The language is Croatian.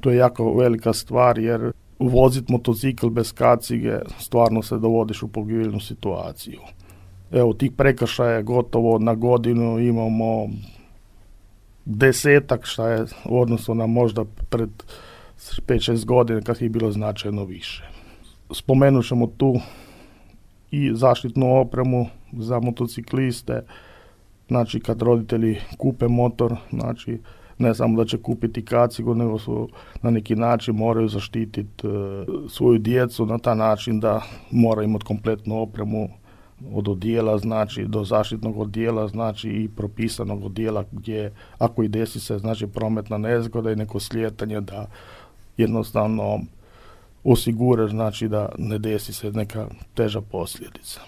To je jako velika stvar jer voziti motocikl bez kacige stvarno se dovodiš u pogibeljnu situaciju. Evo, tih prekršaja gotovo na godinu imamo 10, šta je u odnosu na možda pred 5-6 godina kad je bilo značajno više. Spomenut ćemo tu i zaštitnu opremu za motocikliste, znači kad roditelji kupe motor, znači ne samo da će kupiti kacigu, nego su na neki način moraju zaštititi svoju djecu na taj način da mora imati kompletnu opremu od odijela, znači do zaštitnog odijela, znači i propisanog odijela gdje ako i desi se znači prometna nezgoda i neko slijetanje da jednostavno osigura znači da ne desi se neka teža posljedica.